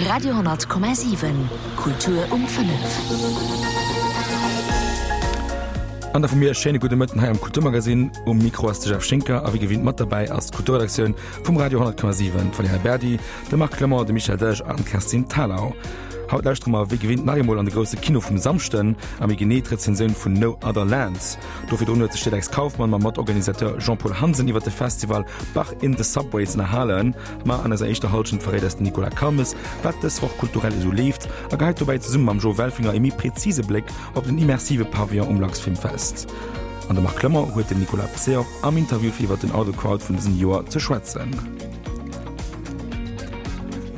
Radio 10,7 Kultur um 5. An da vu mir e schéine gudde Mëtten hei am Kulturmagazin. Um Mikro ass de Jeff Schinker a wéi gewinnt mat derbäi ass d'Kulturredaktioun vum Radio 10,7, d'Valerija Berdi, de Marc Clement, de Michel Delage an d'Kerstin Thalau. Haut lauschtere mer wéi gewinnt nach eemol an de grousse Kino vum Samschden a méi genee d'Rezensioun vun No Other Lands. Do virdrun huet sech d'Alex Kauffmann mam Matorganisateur Jean-Paul Hansen iwwer de Festival Bach in the Subways ënnerhalen. Ma an eiser éischter Hallschent verréit eis den Nicolas Calmes, wat dës Woch kulturell esou leeft a geheit dobäi zesumme mam Jo Welfinger e méi präzise Bléck op den immersive Pavillon um Luxfilmfest. An de Marc Clement huet den Nicolas Pseor am Interview fir iwwer den Out of Crowd vun dësem Joer ze schwätzen.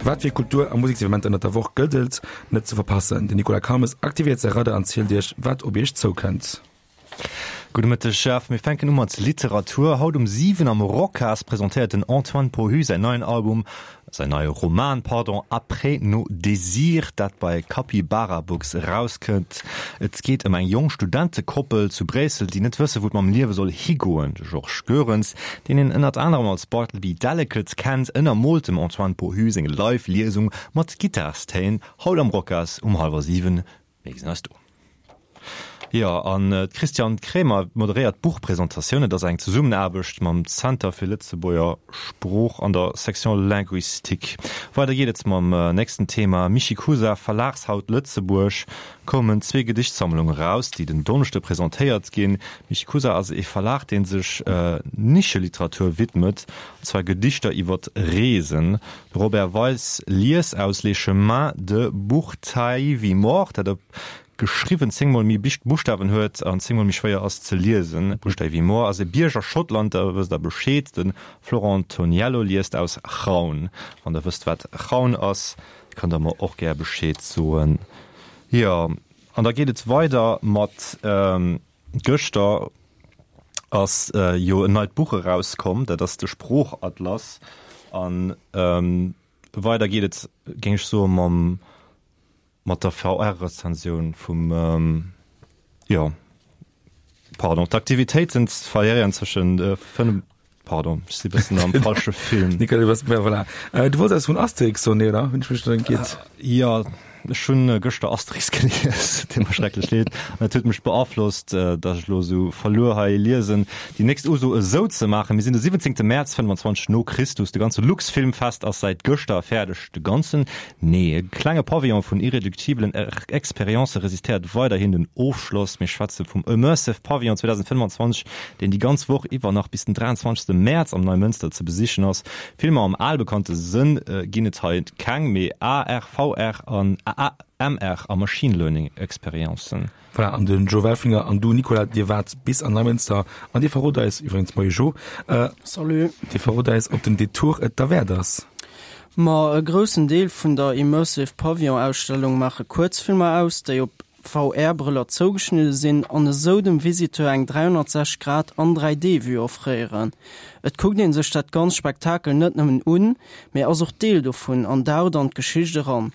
Wat fir Kultur a Museksevenementer ënnert der Woch gëllt et net ze verpassen? Den Nicolas Calmes aktivéiert säi Radar an zielt iech, wat op iech zoukënnt. Gudde Mëtteg Jeff, mir fänken u mat Literatur. Haut um 7 am Rocas presentéiert den Antoine Pohu säin neien Album, säin neie Roman, pardon, Après nos désirs, dat bei Capybara Books erauskënnt. Et geet ëm eng jonk Studentekoppel zu Bréissel, déi net wësse wou et mam Liewe soll higoen. De Georges Goerens, deen een ënnert anerem als Bartleby Delicate kennt, ënnermoolt dem Antoine Pohu seng Live-Liesung mat Gittarstéin haut am Rocas um hallwer 7. Mir gesinn eis do. Jo, an d'Christiane Kremer moderéiert d'Buchpresentatioun. Et ass eng Zesummenaarbecht mam Zenter fir Lëtzebuerger Sprooch an der Section Linguistique. Weider geet et mam nächsten Thema, Michikusa, Verlagshaut Lëtzebuerg, koumen zwee Gedichtsammlungen eraus, déi den Donneschde presentéiert ginn. Michikusa ass ee Verlag, dee sech Nischeliteratur widmet, an zwar Gedichter iwwer Reesen. De Robert Weis liest aus Les chemins de Bourtaivimore, dat op geschriwwen zéngmol méi Buschtawen huet an zéngmol méi schwéier ass ze liesen. Bourtaivimore ass e Bierg a Schottland, da wësst der Bescheed. De Florent Toniello liest aus Chraun. Wann der wësst, wat Chraun ass, kënnt der mer och gär Bescheed soen. Jo, an da geet et weider mat. Gëschter ass jo en neit Buch erauskomm, dat ass de Sproochatlas. A weider geet et, géing ech soen, mam, mat der VR-Rezensioun vum, jo, pardon, d'Aktivitéiten variéieren zwëschen 5. Pardon, ech si bëssen am falsche Film. Nicolas, du bass, voilà. Äh, du wolls eppes vun Asterix soen, nee, oder? Hunn ech mech dann giert? Jo, ech hunn gëschter Asterix gelies, et deet mer schrecklech leed. An et huet mech beaflosst, datt ech elo esou verluer hei liesen. Déi nächst Uso esou ze maachen. Mir sinn de 17. Mäerz 25 no Christus. De ganze Luxfilmfest ass säit gëschter fäerdeg. De ganzen? Nee, e klenge Pavillon vun irreduktibelen Experiencë resistéiert weiderhin den Ofschloss. Mir schwätze vum Immersive Pavillon 2025, deen déi ganz Woch iwwer nach bis den 23 Mäerz am Neimënster ze besichen ass. Filmer am albekannte Sënn ginn et hei keng, mee AR, VR an MR a Machine Learning Experiencen. Voilà, an den Joe Welfringer an du Nicolas, dir waart bis an Neimënster an dir verrot eis, iwwregens moie Jo, Salut. dir verrot eis, ob den Detour et derwäert ass. Ma e groussen Deel vun der Immersive Pavillon Ausstellung maache Kuerzfilmer aus, déi op VR-Brëller zougeschnidde sinn an esou dem Visiteur eng 360 Grad an 3D-Vue offréieren. Et kuckt een sech dat ganzt Spektakel net nëmmen un, mee ass och Deel dovun an daucht an d'Geschicht eran.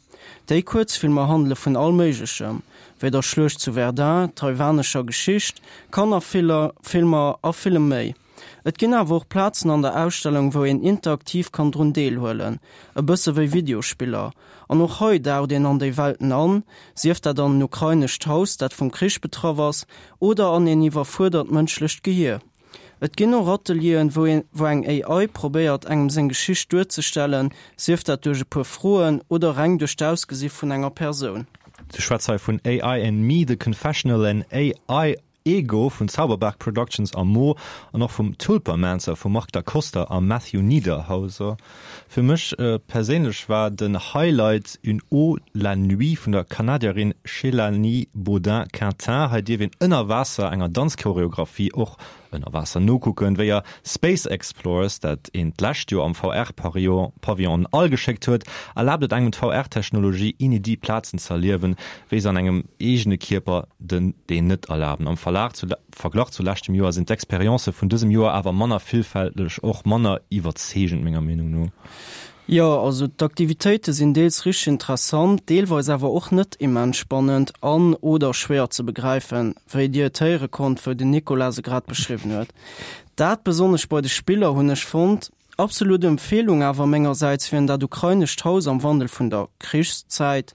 Déi Kuerzfilmer handele vun all Méiglechem, wéi der Schluecht zu Verdun, taiwanescher Geschicht, Kannerfilmer a villem méi. Et ginn awer och Plazen an der Ausstellung, wou een interaktiv kann drun deelhuelen, e bësse wéi Videospiller. An och hei daucht een an déi Welten an, sief dat an en ukrainescht Haus, dat vum Krich betraff ass, oder an een iwwerfuerdert mënschlecht Gehier. Et ginn och Atelieren, wou een, wou eng AI probéiert, engem seng Geschicht duerzestellen, sief dat duerch e puer Froen oder reng duerch d'Ausgesi vun enger Persoun. Du schwätz hei vun AI and Me, The Confessional and AI Ego vun Zauberberg Productions a Mo an och vum Tulpamancer vum Marc Da Costa a Matthew Niederhauser. Fir mech perséinlech war den Highlight Une eau la nuit vun der Kanadierin Shelanie Beaudin-Quintin. Hei dierf een ënner Waasser enger Danzchoreographie och ënner Waasser nokucken, wéi a Space Explorers, dat een d'lescht Joer am VR-Pavillon an All geschéckt huet, erlaabt et engem d'VR-Technologie inédit Plazen z'erliewen, wéi se an engem eegene Kierper den deen net erlaben. Am Verlag zu Verglach zu leschtem Joer sinn d'Experiencë vun dësem Joer awer manner villfälteg, och manner iwwerzeegend menger Meenung no. Jo, also d'Aktivitéite sinn deels richteg interessant, deelweis awer och net immens spannend an, oder schwéier ze begräifen, wéi dir et héiere konnt, wou den Nicolas se grad beschriwwen huet. Dat besonnesch bei de Spiller hunn ech fonnt. Absolut Empfehlung awer mengersäits wieren dat ukrainescht Haus am Wandel vun der Krichszäit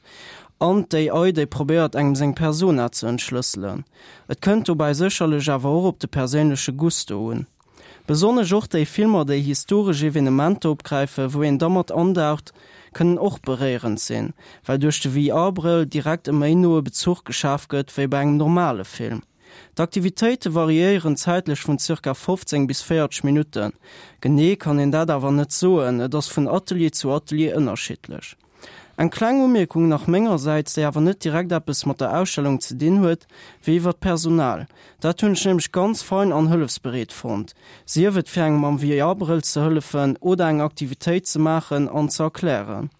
an d'AI déi probéiert engem seng Persona ze entschlësselen. Et kënnt dobäi sécherlech awer och op de perséinleche Gusto un. Besonnesch och déi Filmer déi historesch Evenementer opgräifen, wou een da mat andaucht, kënnen och beréierend sinn, well duerch de VR-Brëll direkt e méi noe Bezuch geschaf gëtt wéi bei engem normale Film. D'Aktivitéite variéieren zäitlech vun zirka 15 bis 40 Minutten. Genee kann een dat awer net soen, et ass vun Atelier zu Atelier ënnerschiddlech. Eng kleng Umierkung nach mengersäits, déi awer net direkt eppes mat der Ausstellung ze dinn huet, wier iwwer d'Personal. Dat hunn ech nämlech ganz fein an hëllefsbereet fonnt, sief et fir engem mam VR-Brëll ze hëllefen oder eng Aktivitéit ze maachen an ze erklären.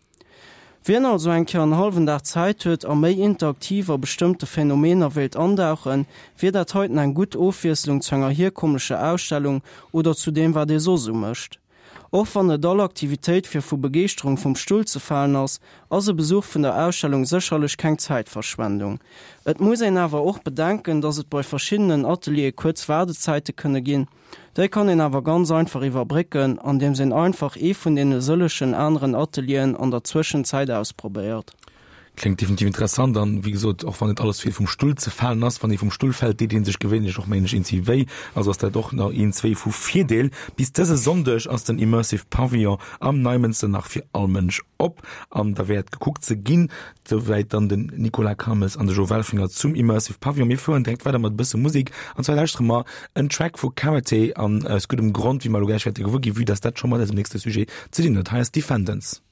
Wien also eng Kéier en hallwen Dag Zäit huet a méi interaktiv a bestëmmte Phänomener wéilt andauchen, wier dat heiten eng gutt Ofwiesslung zu enger hierkommlecher Ausstellung oder zu deem wat ee soss esou mécht. Och wann net all Aktivitéit fir vu Begeeschterung vum Stull ze falen ass, ass e Besuch vun der Ausstellung sécherlech keng Zäitverschwendung. Et muss een awer och bedenken, dass et bei verschiddenen Ateliere kuerz Waardezäite kënne ginn. Déi kann een awer ganz einfach iwwerbrécken, andeems een einfach ee vun deene sëllechen aneren Atelieren an der Zwëschenzäit ausprobéiert. Kléngt definitiv interessant an, wéi gesot, och wann net alles fir vum Stull ze falen ass, wann ee vum Stull fält, deet ee sech gewéinlech och méi een zwee wéi, also ass dat och nach een zwee vu Virdeel. Bis dëse Sonndeg ass den Immersive Pavillon am Neimënster nach fir all Mënsch op an da wäert gekuckt ze ginn. Souwäit dann den Nicolas Calmes an de Jo Welfringer zum Immersive Pavillon. Mir fueren direkt weider mat e bësse Musek an zwar lauschtere mer en Track vu Karate an aus guddem Grond, wéi mer elo gläich wäerte gewuer ginn, vue dass dat scho mat eisem nächste Sujet ze dinn huet. Hei ass Defendants.